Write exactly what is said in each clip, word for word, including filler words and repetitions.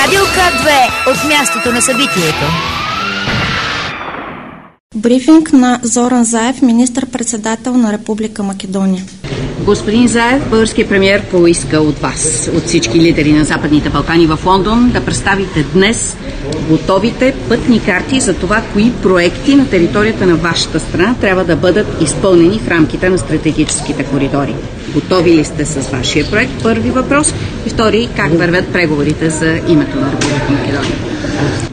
Радио К две от мястото на събитието. Брифинг на Зоран Заев, министър-председател на Република Македония. Господин Заев, българският премиер поиска от вас, от всички лидери на Западните Балкани в Лондон, да представите днес готовите пътни карти за това, кои проекти на територията на вашата страна трябва да бъдат изпълнени в рамките на стратегическите коридори. Готови ли сте с вашия проект? Първи въпрос. И втори, как вървят преговорите за името на Република Македония?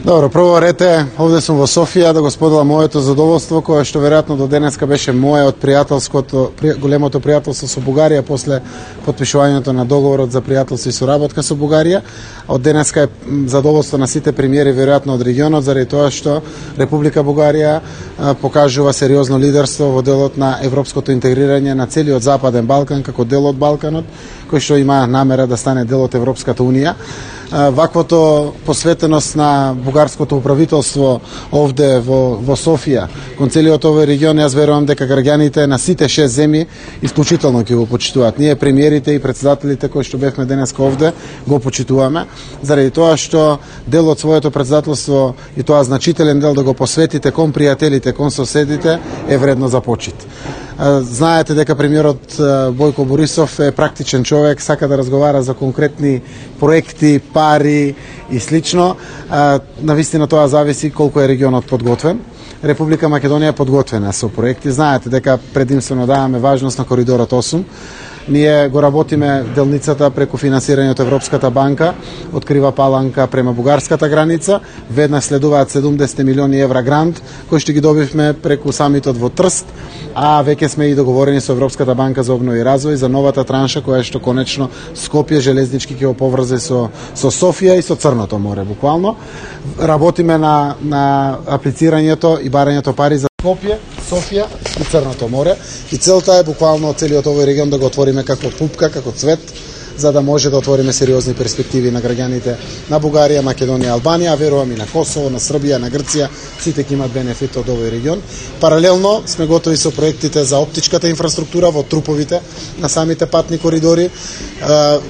Добро, прво рете, овде сум во Софија да го споделам моето задоволство, кое што веројатно до денеска беше мое од пријателското, големото пријателство со Бугарија после потпишувањето на договорот за пријателство и соработка со Бугарија. Од денеска е задоволство на сите премиери веројатно од регионот, заради тоа што Република Бугарија покажува сериозно лидерство во делот на европското интегрирање на целиот Западен Балкан како дел од Балканот, кој што има намера да стане дел од Европската унија. Ваквото посветеност на бугарското управителство овде во, во Софија, кон целиот овој регион, јас верувам дека граѓаните на сите шест земји исклучително ќе го почитуваат. Ние премиерите и председателите кои што бевме денеска овде го почитуваме, заради тоа што дел од своето председателство и тоа значителен дел да го посветите кон пријателите, кон соседите е вредно за почит. Знаете дека премиерот Бојко Борисов е практичен човек, сака да разговара за конкретни проекти, пари и слично. Навистина тоа зависи колку е регионот подготвен. Република Македонија е подготвена со проекти. Знаете дека предимствено даваме важност на коридорот осум. Ние го работиме делницата преку финансирање од Европската банка, од Крива Паланка према бугарската граница. Веднаш следуваат седумдесет милиони евра грант, кои што ги добивме преку самитот во Трст, а веќе сме и договорени со Европската банка за обнова и развој за новата транша, која што конечно Скопје железнички ќе го поврзе со, со Софија и со Црното море, буквално. Работиме на, на аплицирањето и барањето пари за Скопје, Софија и Црното море. И целта е буквално целиот овој регион да го отвориме како пупка, како цвет, за да може да отвориме сериозни перспективи на граѓаните на Бугарија, Македонија, Албанија, а верувам и на Косово, на Србија, на Грција, сите ќе имат бенефит од овој регион. Паралелно сме готови со проектите за оптичката инфраструктура во труповите на самите патни коридори.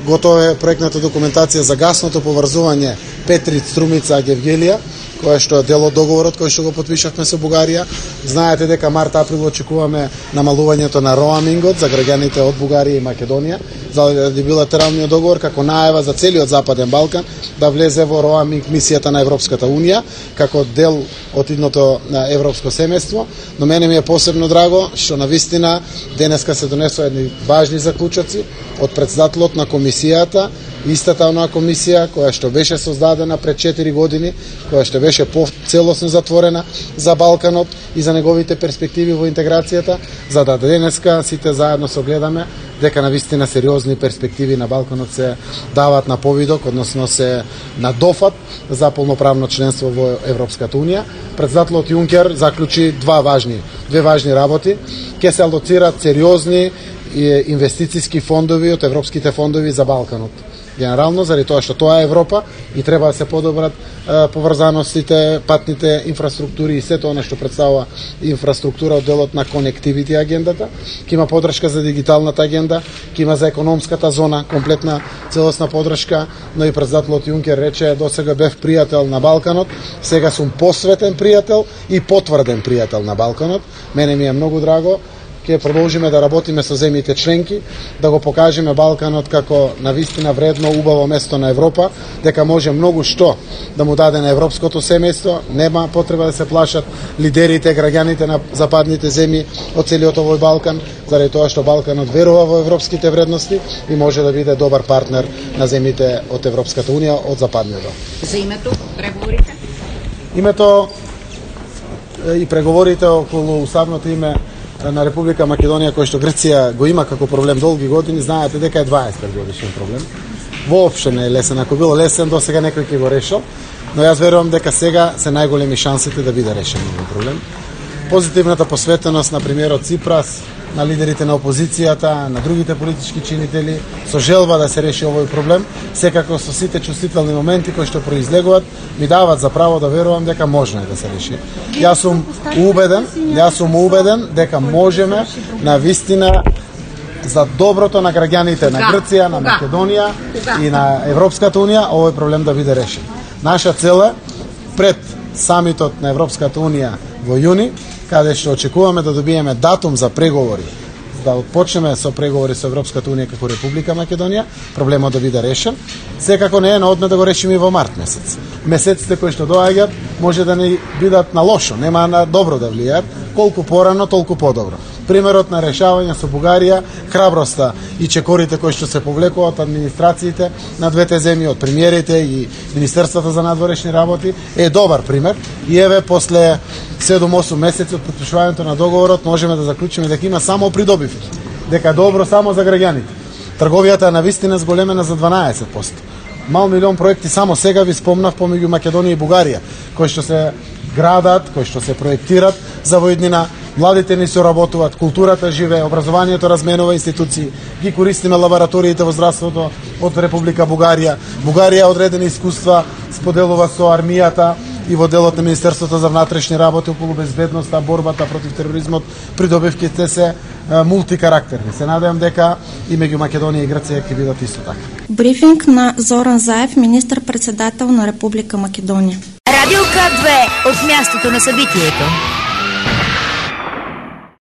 Готова е проектната документација за гасното поврзување Петрит, Струмица, Гевгелија, кој што е дел од договорот кој што го потпишавме со Бугарија. Знаете дека март-април очекуваме намалувањето на роамингот за граѓаните од Бугарија и Македонија, заради билатералниот договор како најава за целиот Западен Балкан да влезе во роаминг мисијата на Европската унија како дел од идното европско семејство. Но мене ми е посебно драго што навистина денеска се донесоа едни важни заклучоци од председателот на комисијата, истата онаа комисија која што беше создадена пред четири години, која што беше поцелосно затворена за Балканот и за неговите перспективи во интеграцијата, за да денеска сите заедно согледаме дека навистина сериозни перспективи на Балканот се дават на повидок, односно се на дофат за полноправно членство во Европската унија. Председателот Јункер заклучи два важни, две важни работи. Ке се алоцираат сериозни инвестициски фондови од европските фондови за Балканот. Генерално, заради тоа што тоа е Европа и треба да се подобрат е, поврзаностите, патните инфраструктури и сето она што представува инфраструктура од делот на конективити агендата. Ке има подршка за дигиталната агенда, ке има за економската зона комплетна целосна подршка, но и председателот Јункер рече досега бев пријател на Балканот, сега сум посветен пријател и потврден пријател на Балканот. Мене ми е многу драго. Ќе продолжиме да работиме со земјите членки, да го покажеме Балканот како навистина вредно, убаво место на Европа, дека може многу што да му даде на европското семејство. Нема потреба да се плашат лидерите, граѓаните на западните земји од целиот овој Балкан, заради тоа што Балканот верува во европските вредности и може да биде добар партнер на земјите од Европската унија, од западниот. За името, преговорите? Името и преговорите околу уставното име на Република Македонија, кој што Грција го има како проблем долги години, знаете дека е дваесет годишен проблем. Воопшто не е лесен, ако било лесен, до сега некој ќе го решил, но јас верувам дека сега се најголеми шансите да биде решен овој проблем. Позитивната посветеност на премиерот Ципрас, на лидерите на опозицијата, на другите политички чинители, со желба да се реши овој проблем, секако со сите чувствителни моменти кои што произлегуваат, ми дават за право да верувам дека можно е да се реши. Јас сум убеден, јас сум убеден дека можеме на вистина за доброто на граѓаните на Грција, на Македонија и на Европската унија, овој проблем да биде решен. Наша цел е пред самитот на Европската унија во јуни, каде што очекуваме да добиеме датум за преговори, да отпочнеме со преговори со Европската унија како Република Македонија, проблемот да биде решен. Секако не е на одме да го решиме и во март месец. Месеците кои што доаѓаат може да не бидат на лошо, нема на добро да влијаат, колку порано, толку подобро. Примерот на решавање со Бугарија, храброста и чекорите кои што се повлекуваат од администрациите на двете земји, од премиерите и Министерството за надворешни работи е добар пример. И еве после седум-осум месеци од потпишувањето на договорот можеме да заклучиме дека има само придобивки, дека е добро само за граѓаните. Трговијата е навистина зголемена за дванаесет проценти. Мал милион проекти само сега ви спомнав помеѓу Македонија и Бугарија, кои што се градат, кои што се проектират за во иднина. Младите ни соработуваат, културата живее, образованието разменува институции, ги користиме лабораториите во здравството од Република Бугарија. Бугарија одредени искуства споделува со армијата и во делот на Министерството за внатрешни работи околу безбедноста, борбата против тероризмот. Придобивките се мултикарактерни. Се надевам дека и меѓу Македонија и Грција ќе бидат исто така. Брифинг на Зоран Заев, министар-председател на Република Македонија. Радио К две от мястото на събитието.